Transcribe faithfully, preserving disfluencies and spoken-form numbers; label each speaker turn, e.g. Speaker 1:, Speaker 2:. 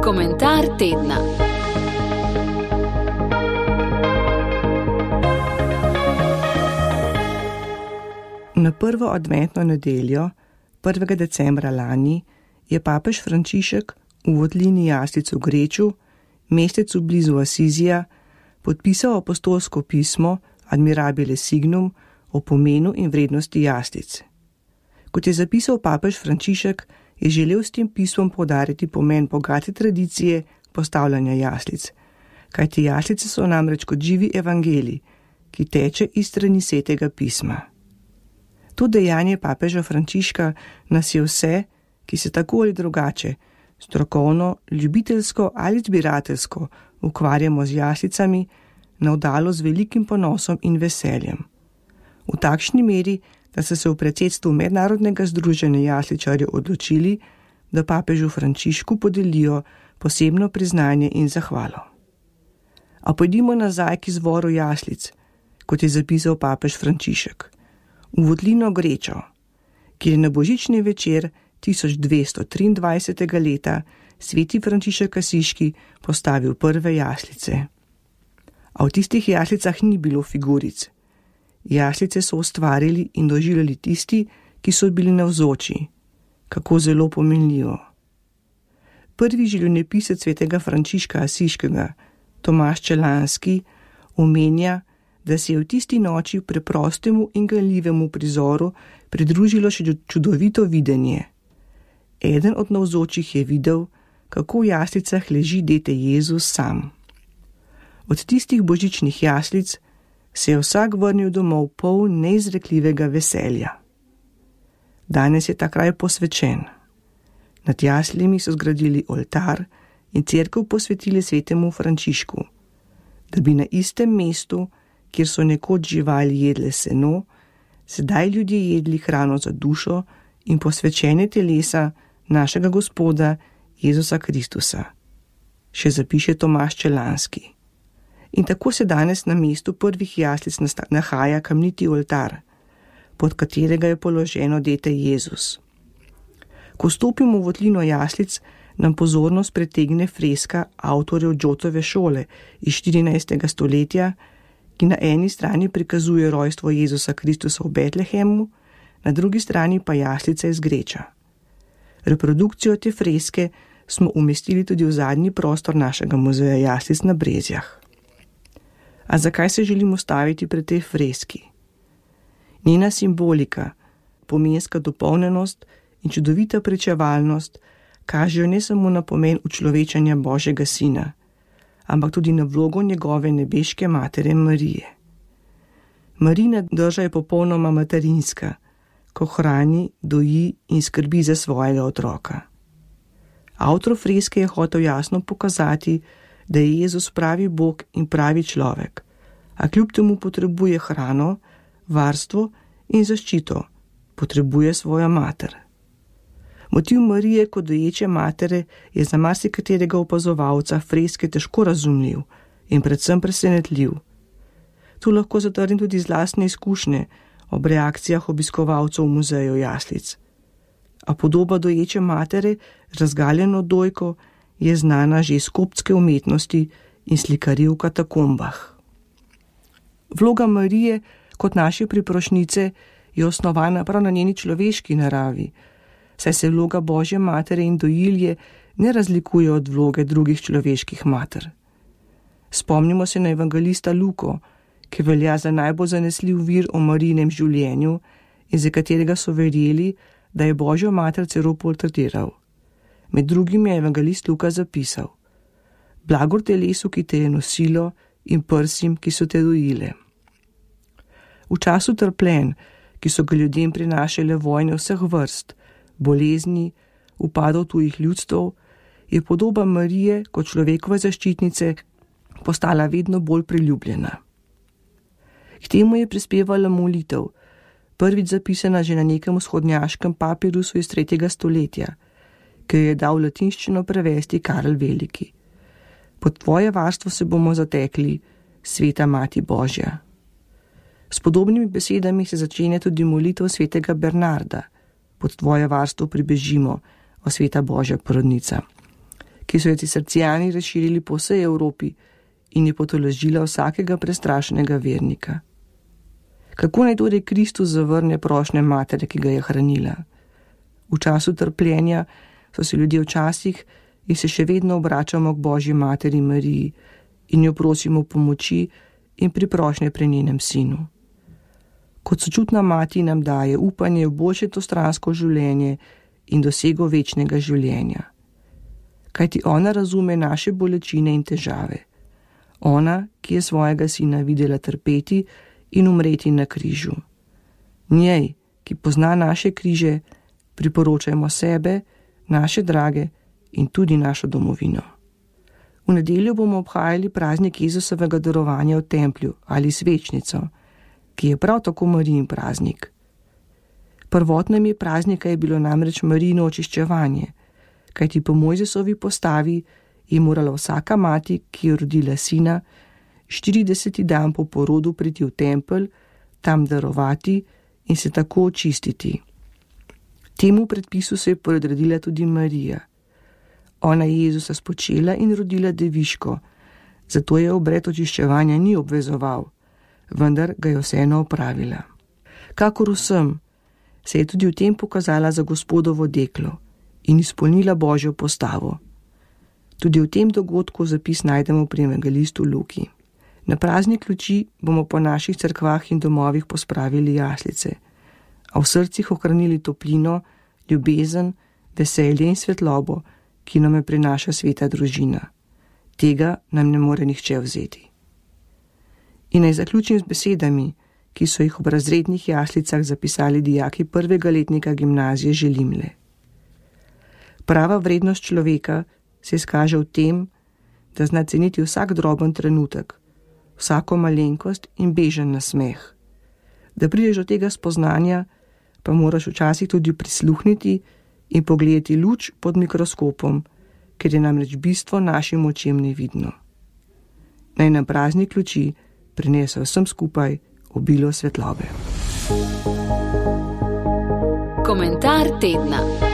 Speaker 1: Komentar tedna.
Speaker 2: Na prvo adventno nedeljo, prvega decembra lani, je papež Frančišek v votlini jaslic v Greču, mestecu blizu Asizija, podpisal apostolsko pismo Admirabile Signum o pomenu in vrednosti jaslic. Kot je zapisal papež Frančišek, je želel s tem pismom poudariti pomen bogate tradicije postavljanja jaslic, kajti jaslice so namreč kot živi evangelij, ki teče iz strani Svetega pisma. To dejanje papeža Frančiška nas je vse, ki se tako ali drugače, strokovno, ljubiteljsko ali zbirateljsko ukvarjamo z jaslicami, navdalo z velikim ponosom in veseljem. V takšni meri, da so se v predsedstvu Mednarodnega združenja jasličarjev odločili, da papežu Frančišku podelijo posebno priznanje in zahvalo. A pojdimo nazaj k izvoru jaslic, kot je zapisal papež Frančišek, v votlino Grečo, kjer je na božični večer tisoč dvesto triindvajsetega leta sveti Frančišek Asiški postavil prve jaslice. A v tistih jaslicah ni bilo figuric. Jaslice so ustvarili in doživljali tisti, ki so bili navzoči. Kako zelo pomenljivo. Prvi življenjepisec svetega Frančiška Asiškega, Tomaž Čelanski, omenja, da se je v tisti noči preprostemu in ganljivemu prizoru pridružilo še čudovito videnje. Eden od navzočih je videl, kako v jaslicah leži dete Jezus sam. Od tistih božičnih jaslic se je vsak vrnil domov poln neizrekljivega veselja. Danes je ta kraj posvečen. Nad jaslimi so zgradili oltar in cerkev posvetili svetemu Frančišku, da bi na istem mestu, kjer so nekoč živali jedle seno, sedaj ljudje jedli hrano za dušo in posvečene telesa našega Gospoda Jezusa Kristusa. Še zapiše Tomaž Čelanski. In tako se danes na mestu prvih jaslic nahaja kamniti oltar, pod katerega je položeno dete Jezus. Ko stopimo v votlino jaslic, nam pozornost pritegne freska avtorjev Giotove šole iz štirinajstega stoletja, ki na eni strani prikazuje rojstvo Jezusa Kristusa v Betlehemu, na drugi strani pa jaslice iz Greča. Reprodukcijo te freske smo umestili tudi v zadnji prostor našega muzeja jaslic na Brezjah. A zakaj se želimo staviti pred tej freski? Njena simbolika, pomenska dopolnjenost in čudovita pričevalnost kažejo ne samo na pomen učlovečanja Božjega Sina, ampak tudi na vlogo njegove nebeške matere Marije. Marijina drža je popolnoma materinska, ko hrani, doji in skrbi za svojega otroka. Avtor freske je hotel jasno pokazati, da je Jezus pravi Bog in pravi človek, a kljub temu potrebuje hrano, varstvo in zaščito, potrebuje svojo mater. Motiv Marije kot doječe matere je za marsikaterega opazovalca freske težko razumljiv in predvsem presenetljiv. Tu lahko zatrdim tudi z lastne izkušnje ob reakcijah obiskovalcev v muzeju jaslic. A podoba doječe matere z razgaljeno dojko je znana že iz koptske umetnosti in slikarij v katakombah. Vloga Marije kot naše priprošnjice je osnovana prav na njeni človeški naravi, saj se vloga Božje matere in dojilje ne razlikuje od vloge drugih človeških mater. Spomnimo se na evangelista Luko, ki velja za najbolj zanesljiv vir o Marijinem življenju in za katerega so verjeli, da je Božjo mater celo portretiral. Med drugim je evangelist Luka zapisal: Blagor telesu, ki te je nosilo, in prsim, ki so te dojile. V času trpljenj, ki so ga ljudem prinašale vojne vseh vrst, bolezni, upadov tujih ljudstv, je podoba Marije kot človekove zaščitnice postala vedno bolj priljubljena. K temu je prispevala molitev, prvič zapisana že na nekem vzhodnjaškem papirusu iz tretjega stoletja, ki jo je dal v latinščino prevesti Karel Veliki. Pod tvoje varstvo se bomo zatekli, sveta Mati Božja. S podobnimi besedami se začenja tudi molitev svetega Bernarda. Pod tvoje varstvo pribežimo, Sveta Božja porodnica, ki so jo cistercijani razširili po vsej Evropi in je potolažila vsakega prestrašenega vernika. Kako naj torej Kristus zavrne prošnje matere, ki ga je hranila? V času trpljenja so se ljudje včasih in se še vedno obračamo k Božji materi Mariji in jo prosimo pomoči in priprošnje pri njenem sinu. Kot sočutna mati nam daje upanje v boljše tostransko življenje in dosego večnega življenja. Kajti ona razume naše bolečine in težave. Ona, ki je svojega sina videla trpeti in umreti na križu. Njej, ki pozna naše križe, priporočajmo sebe, naše drage in tudi našo domovino. V nedeljo bomo obhajali praznik Jezusovega darovanja v templju ali svečnico, ki je prav tako Marijin praznik. Prvotno ime praznika je bilo namreč Marijino očiščevanje, kajti po Mojzesovi postavi je morala vsaka mati, ki je rodila sina, štirideseti dan po porodu priti v tempelj, tam darovati in se tako očistiti. Temu predpisu se je podredila tudi Marija. Ona je Jezusa spočela in rodila deviško, zato je obred očiščevanja ni obvezoval, vendar ga je vseeno opravila. Kakor vsem, se je tudi v tem pokazala za Gospodovo deklo in izpolnila Božjo postavo. Tudi v tem dogodku zapis najdemo pri evangelistu Luki. Na praznik luči bomo po naših cerkvah in domovih pospravili jaslice, a v srcih ohranili toplino, ljubezen, veselje in svetlobo, ki nam je prinaša sveta družina. Tega nam ne more nihče vzeti. In naj zaključim z besedami, ki so jih ob razrednih jaslicah zapisali dijaki prvega letnika gimnazije Želimle. Prava vrednost človeka se izkaže v tem, da zna ceniti vsak droben trenutek, vsako malenkost in bežen nasmeh. Da prideš do tega spoznanja, pa moraš včasih tudi prisluhniti in pogledati luč pod mikroskopom, ker je namreč bistvo našim očem nevidno. Naj nam praznik luči prinese vsem skupaj obilo svetlobe.
Speaker 1: Komentar tedna.